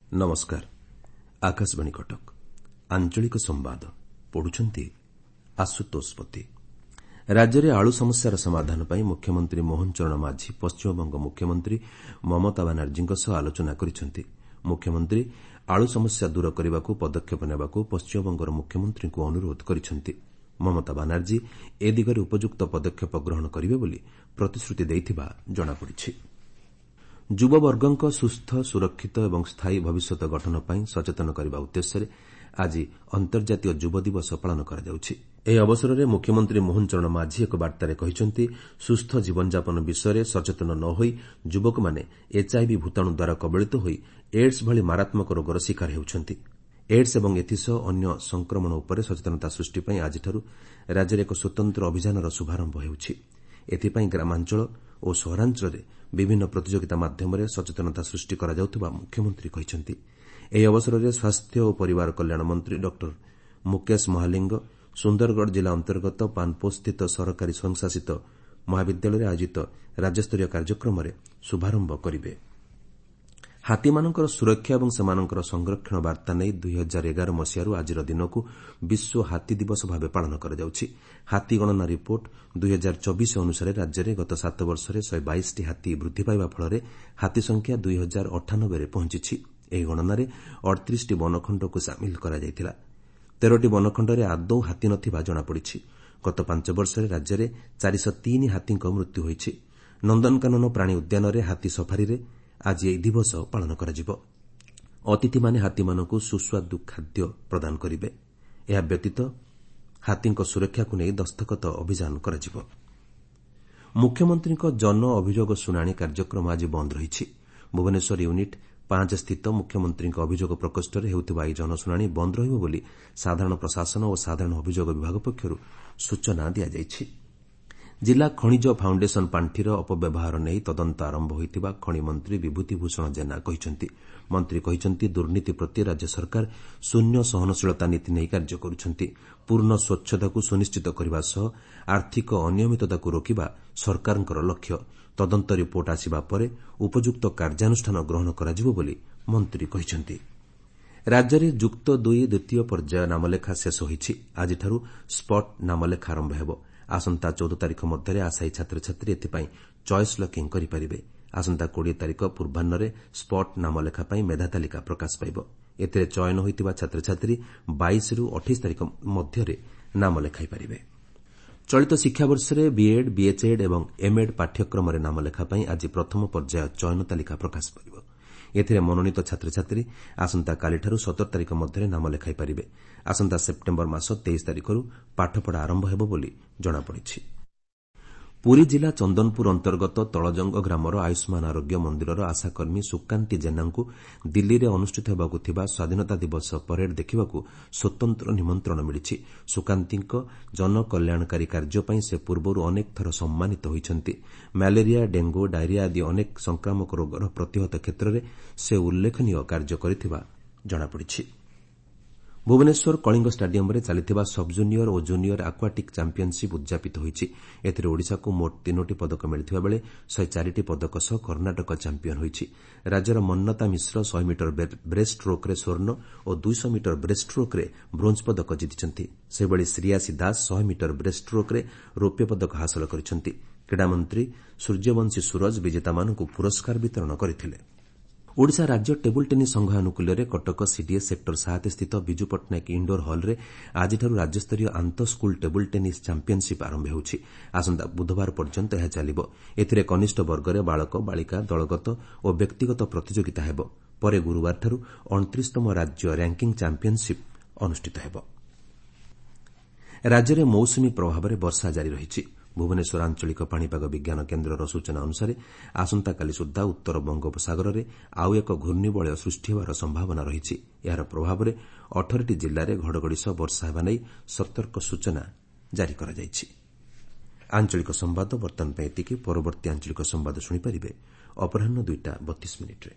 ନମସ୍କାର, ଆକାଶବାଣୀ କଟକ। ଆଞ୍ଚଳିକ ସମ୍ବାଦ ପଢୁଛନ୍ତି ଆଶୁତୋଷ ପତି। ରାଜ୍ୟରେ ଆଳୁ ସମସ୍ୟାର ସମାଧାନ ପାଇଁ ମୁଖ୍ୟମନ୍ତ୍ରୀ ମୋହନ ଚରଣ ମାଝୀ ପଶ୍ଚିମବଙ୍ଗ ମୁଖ୍ୟମନ୍ତ୍ରୀ ମମତା ବାନାର୍ଜୀଙ୍କ ସହ ଆଲୋଚନା କରିଛନ୍ତି। ମୁଖ୍ୟମନ୍ତ୍ରୀ ଆଳୁ ସମସ୍ୟା ଦୂର କରିବାକୁ ପଦକ୍ଷେପ ନେବାକୁ ପଶ୍ଚିମବଙ୍ଗର ମୁଖ୍ୟମନ୍ତ୍ରୀଙ୍କୁ ଅନୁରୋଧ କରିଛନ୍ତି। ମମତା ବାନାର୍ଜୀ ଏ ଦିଗରେ ଉପଯୁକ୍ତ ପଦକ୍ଷେପ ଗ୍ରହଣ କରିବେ ବୋଲି ପ୍ରତିଶ୍ରୁତି ଦେଇଥିବା ଜଣାପଡ଼ିଛି। ଯୁବବର୍ଗଙ୍କ ସୁସ୍ଥ, ସୁରକ୍ଷିତ ଏବଂ ସ୍ଥାୟୀ ଭବିଷ୍ୟତ ଗଠନ ପାଇଁ ସଚେତନ କରିବା ଉଦ୍ଦେଶ୍ୟରେ ଆଜି ଅନ୍ତର୍ଜାତୀୟ ଯୁବ ଦିବସ ପାଳନ କରାଯାଉଛି। ଏହି ଅବସରରେ ମୁଖ୍ୟମନ୍ତ୍ରୀ ମୋହନ ଚରଣ ମାଝୀ ଏକ ବାର୍ତ୍ତାରେ କହିଛନ୍ତି, ସୁସ୍ଥ ଜୀବନଯାପନ ବିଷୟରେ ସଚେତନ ନ ହୋଇ ଯୁବକମାନେ ଏଚ୍ଆଇଭି ଭୂତାଣୁ ଦ୍ୱାରା କବଳିତ ହୋଇ ଏଡ୍ସ ଭଳି ମାରାତ୍ମକ ରୋଗର ଶିକାର ହେଉଛନ୍ତି। ଏଡ୍ସ ଏବଂ ଏଥିସହ ଅନ୍ୟ ସଂକ୍ରମଣ ଉପରେ ସଚେତନତା ସୃଷ୍ଟି ପାଇଁ ଆଜିଠାରୁ ରାଜ୍ୟରେ ଏକ ସ୍ୱତନ୍ତ୍ର ଅଭିଯାନର ଶୁଭାରମ୍ଭ ହେଉଛି। ଏଥିପାଇଁ ଗ୍ରାମାଞ୍ଚଳ ଓ ସହରାଞ୍ଚଳରେ ବିଭିନ୍ନ ପ୍ରତିଯୋଗିତା ମାଧ୍ୟମରେ ସଚେତନତା ସୃଷ୍ଟି କରାଯାଉଥିବା ମୁଖ୍ୟମନ୍ତ୍ରୀ କହିଛନ୍ତି। ଏହି ଅବସରରେ ସ୍ୱାସ୍ଥ୍ୟ ଓ ପରିବାର କଲ୍ୟାଣ ମନ୍ତ୍ରୀ ଡକ୍ଟର ମୁକେଶ ମହାଲିଙ୍ଗ ସୁନ୍ଦରଗଡ଼ ଜିଲ୍ଲା ଅନ୍ତର୍ଗତ ପାନପୋଷସ୍ଥିତ ସରକାରୀ ସ୍ୱୟଂଶାସିତ ମହାବିଦ୍ୟାଳୟରେ ଆୟୋଜିତ ରାଜ୍ୟସ୍ତରୀୟ କାର୍ଯ୍ୟକ୍ରମରେ ଶୁଭାରମ୍ଭ କରିବେ। ହାତୀମାନଙ୍କର ସୁରକ୍ଷା ଏବଂ ସେମାନଙ୍କର ସଂରକ୍ଷଣ ବାର୍ତ୍ତା ନେଇ 2011 ମସିହାରୁ ଆଜିର ଦିନକୁ ବିଶ୍ୱ ହାତୀ ଦିବସ ଭାବେ ପାଳନ କରାଯାଉଛି। ହାତୀ ଗଣନା ରିପୋର୍ଟ 2024 ଅନୁସାରେ ରାଜ୍ୟରେ ଗତ 7 ବର୍ଷରେ 122ଟି ହାତୀ ବୃଦ୍ଧି ପାଇବା ଫଳରେ ହାତୀ ସଂଖ୍ୟା 2098ରେ ପହଞ୍ଚିଛି। ଏହି ଗଣନାରେ 38ଟି ବନଖଣ୍ଡକୁ ସାମିଲ କରାଯାଇଥିଲା। 13ଟି ବନଖଣ୍ଡରେ ଆଦୌ ହାତୀ ନଥିବା ଜଣାପଡ଼ିଛି। ଗତ 5 ବର୍ଷରେ ରାଜ୍ୟରେ 403 ହାତୀଙ୍କ ମୃତ୍ୟୁ ହୋଇଛି। ନନ୍ଦନକାନନ ପ୍ରାଣୀ ଉଦ୍ୟାନରେ ହାତୀ ସଫାରିରେ ଆଜି ଏହି ଦିବସ ପାଳନ କରାଯିବ। ଅତିଥିମାନେ ହାତୀମାନଙ୍କୁ ସୁସ୍ୱାଦୁ ଖାଦ୍ୟ ପ୍ରଦାନ କରିବେ। ଏହା ବ୍ୟତୀତ ହାତୀଙ୍କ ସୁରକ୍ଷାକୁ ନେଇ ଦସ୍ତଖତ ଅଭିଯାନ କରାଯିବ। ମୁଖ୍ୟମନ୍ତ୍ରୀଙ୍କ ଜନ ଅଭିଯୋଗ ଶୁଣାଣି କାର୍ଯ୍ୟକ୍ରମ ଆଜି ବନ୍ଦ ରହିଛି। ଭୁବନେଶ୍ୱର ୟୁନିଟ୍ 5 ସ୍ଥିତ ମୁଖ୍ୟମନ୍ତ୍ରୀଙ୍କ ଅଭିଯୋଗ ପ୍ରକୋଷ୍ଠରେ ହେଉଥିବା ଏହି ଜନଶୁଣାଣି ବନ୍ଦ ରହିବ ବୋଲି ସାଧାରଣ ପ୍ରଶାସନ ଓ ସାଧାରଣ ଅଭିଯୋଗ ବିଭାଗ ପକ୍ଷରୁ ସୂଚନା ଦିଆଯାଇଛି। ଜିଲ୍ଲା ଖଣିଜ ଫାଉଣ୍ଡେସନ ପାଣ୍ଠିର ଅପବ୍ୟବହାର ନେଇ ତଦନ୍ତ ଆରମ୍ଭ ହୋଇଥିବା ଖଣି ମନ୍ତ୍ରୀ ବିଭୂତି ଭୂଷଣ ଜେନା କହିଛନ୍ତି। ମନ୍ତ୍ରୀ କହିଛନ୍ତି, ଦୁର୍ନୀତି ପ୍ରତି ରାଜ୍ୟ ସରକାର ଶୂନ୍ୟ ସହନଶୀଳତା ନୀତି ନେଇ କାର୍ଯ୍ୟ କରୁଛନ୍ତି। ପୂର୍ଣ୍ଣ ସ୍ୱଚ୍ଛତାକୁ ସୁନିଶ୍ଚିତ କରିବା ସହ ଆର୍ଥିକ ଅନିୟମିତତାକୁ ରୋକିବା ସରକାରଙ୍କର ଲକ୍ଷ୍ୟ। ତଦନ୍ତ ରିପୋର୍ଟ ଆସିବା ପରେ ଉପଯୁକ୍ତ କାର୍ଯ୍ୟାନୁଷ୍ଠାନ ଗ୍ରହଣ କରାଯିବ ବୋଲି ମନ୍ତ୍ରୀ କହିଛନ୍ତି। ରାଜ୍ୟରେ ଯୁକ୍ତ 2 ଦ୍ୱିତୀୟ ପର୍ଯ୍ୟାୟ ନାମଲେଖା ଶେଷ ହୋଇଛି। ଆଜିଠାରୁ ସ୍ପଟ୍ ନାମଲେଖା ଆରମ୍ଭ ହେବ। ଆସନ୍ତା 14 ତାରିଖ ମଧ୍ୟରେ ଆଶାୟୀ ଛାତ୍ରଛାତ୍ରୀ ଏଥିପାଇଁ ଚଏସ୍ ଲକିଂ କରିପାରିବେ। ଆସନ୍ତା 20 ତାରିଖ ପୂର୍ବାହ୍ନରେ ସ୍ପଟ୍ ନାମଲେଖା ପାଇଁ ମେଧା ତାଲିକା ପ୍ରକାଶ ପାଇବ। ଏଥିରେ ଚୟନ ହୋଇଥିବା ଛାତ୍ରଛାତ୍ରୀ 22ରୁ 28 ତାରିଖ ମଧ୍ୟରେ ନାମ ଲେଖାଇପାରିବେ। ଚଳିତ ଶିକ୍ଷାବର୍ଷରେ ବିଏଡ୍, ବିଏଚ୍ଏଡ୍ ଏବଂ ଏମ୍ଏଡ୍ ପାଠ୍ୟକ୍ରମରେ ନାମଲେଖା ପାଇଁ ଆଜି ପ୍ରଥମ ପର୍ଯ୍ୟାୟ ଚୟନ ତାଲିକା ପ୍ରକାଶ ପାଇବ। ଏଥିରେ ମନୋନୀତ ଛାତ୍ରଛାତ୍ରୀ ଆସନ୍ତାକାଲିଠାରୁ 17 ତାରିଖ ମଧ୍ୟରେ ନାମ ଲେଖାଇପାରିବେ। ଆସନ୍ତା ସେପ୍ଟେମ୍ବର ମାସ 23 ତାରିଖରୁ ପାଠପଢ଼ା ଆରମ୍ଭ ହେବ ବୋଲି ଜଣାପଡ଼ିଛି। ପୁରୀ ଜିଲ୍ଲା ଚନ୍ଦନପୁର ଅନ୍ତର୍ଗତ ତଳଜଙ୍ଗ ଗ୍ରାମର ଆୟୁଷ୍ମାନ ଆରୋଗ୍ୟ ମନ୍ଦିରର ଆଶାକର୍ମୀ ସୁକାନ୍ତି ଜେନାଙ୍କୁ ଦିଲ୍ଲୀରେ ଅନୁଷ୍ଠିତ ହେବାକୁ ଥିବା ସ୍ୱାଧୀନତା ଦିବସ ପରେଡ୍ ଦେଖିବାକୁ ସ୍ୱତନ୍ତ୍ର ନିମନ୍ତ୍ରଣ ମିଳିଛି। ସୁକାନ୍ତିଙ୍କ ଜନକଲ୍ୟାଣକାରୀ କାର୍ଯ୍ୟ ପାଇଁ ସେ ପୂର୍ବରୁ ଅନେକ ଥର ସମ୍ମାନିତ ହୋଇଛନ୍ତି। ମ୍ୟାଲେରିଆ, ଡେଙ୍ଗୁ, ଡାଇରିଆ ଆଦି ଅନେକ ସଂକ୍ରାମକ ରୋଗର ପ୍ରତିହତ କ୍ଷେତ୍ରରେ ସେ ଉଲ୍ଲେଖନୀୟ କାର୍ଯ୍ୟ କରିଥିବା ଜଣାପଡ଼ିଛି। ଭୁବନେଶ୍ୱର କଳିଙ୍ଗ ଷ୍ଟାଡିୟମ୍ରେ ଚାଲିଥିବା ସବ୍ଜୁନିୟର ଓ ଜୁନିୟର ଆକ୍ୱାଟିକ୍ ଚାମ୍ପିୟନ୍ସିପ୍ ଉଦ୍ଯାପିତ ହୋଇଛି। ଏଥିରେ ଓଡ଼ିଶାକୁ ମୋଟ 3ଟି ପଦକ ମିଳିଥିବା ବେଳେ 104ଟି ପଦକ ସହ କର୍ଣ୍ଣାଟକ ଚାମ୍ପିୟନ୍ ହୋଇଛି। ରାଜ୍ୟର ମନ୍ନତା ମିଶ୍ର 100 ମିଟର ବ୍ରେଷ୍ଟ ଷ୍ଟ୍ରୋକ୍ରେ ସ୍ୱର୍ଣ୍ଣ ଓ 200 ମିଟର ବ୍ରେଷ୍ଟ ଷ୍ଟ୍ରୋକ୍ରେ ବ୍ରୋଞ୍ଜ ପଦକ ଜିତିଛନ୍ତି। ସେହିଭଳି ଶ୍ରୀୟାସୀ ଦାସ 100 ମିଟର ବ୍ରେଷ୍ଟ ଷ୍ଟ୍ରୋକ୍ରେ ରୌପ୍ୟ ପଦକ ହାସଲ କରିଛନ୍ତି। କ୍ରୀଡ଼ାମନ୍ତ୍ରୀ ସୂର୍ଯ୍ୟବଂଶୀ ସୂରଜ ବିଜେତାମାନଙ୍କୁ ପୁରସ୍କାର ବିତରଣ କରିଥିଲେ। ଓଡ଼ିଶା ରାଜ୍ୟ ଟେବୁଲ୍ ଟେନିସ୍ ସଂଘ ଆନୁକୂଲ୍ୟରେ କଟକ ସିଡିଏ ସେକ୍ଟର 7 ସ୍ଥିତ ବିଜୁ ପଟ୍ଟନାୟକ ଇଣ୍ଡୋର ହଲ୍ରେ ଆଜିଠାରୁ ରାଜ୍ୟସ୍ତରୀୟ ଆନ୍ତଃ ସ୍କୁଲ୍ ଟେବୁଲ୍ ଟେନିସ୍ ଚାମ୍ପିୟନ୍ସିପ୍ ଆରମ୍ଭ ହେଉଛି। ଆସନ୍ତା ବୁଧବାର ପର୍ଯ୍ୟନ୍ତ ଏହା ଚାଲିବ। ଏଥିରେ କନିଷ୍ଠ ବର୍ଗରେ ବାଳକ, ବାଳିକା, ଦଳଗତ ଓ ବ୍ୟକ୍ତିଗତ ପ୍ରତିଯୋଗିତା ହେବ। ପରେ ଗୁରୁବାରଠାରୁ 29ତମ ରାଜ୍ୟ ର୍ୟାଙ୍କିଙ୍ଗ୍ ଚାମ୍ପିୟନ୍ସିପ୍ ଅନୁଷ୍ଠିତ ହେବ। ରାଜ୍ୟରେ ମୌସୁମୀ ପ୍ରଭାବରେ ବର୍ଷା ଜାରି ରହିଛି। ଭୁବନେଶ୍ୱର ଆଞ୍ଚଳିକ ପାଣିପାଗ ବିଜ୍ଞାନ କେନ୍ଦ୍ରର ସୂଚନା ଅନୁସାରେ ଆସନ୍ତାକାଲି ସୁଦ୍ଧା ଉତ୍ତର ବଙ୍ଗୋପସାଗରରେ ଆଉ ଏକ ଘୂର୍ଣ୍ଣିବଳୟ ସୃଷ୍ଟି ହେବାର ସମ୍ଭାବନା ରହିଛି। ଏହାର ପ୍ରଭାବରେ 18ଟି ଜିଲ୍ଲାରେ ଘଡ଼ଘଡ଼ି ସହ ବର୍ଷା ହେବା ନେଇ ସତର୍କ ସୂଚନା ଜାରି କରାଯାଇଛି। ଆଞ୍ଚଳିକ ସମ୍ବାଦ ବର୍ତ୍ତମାନ ପାଇଁ ଏତିକି। ପରବର୍ତ୍ତୀ ଆଞ୍ଚଳିକ ସମ୍ବାଦ ଶୁଣିପାରିବେ ଅପରାହ୍ନ 2ଟା 32 ମିନିଟ୍ରେ।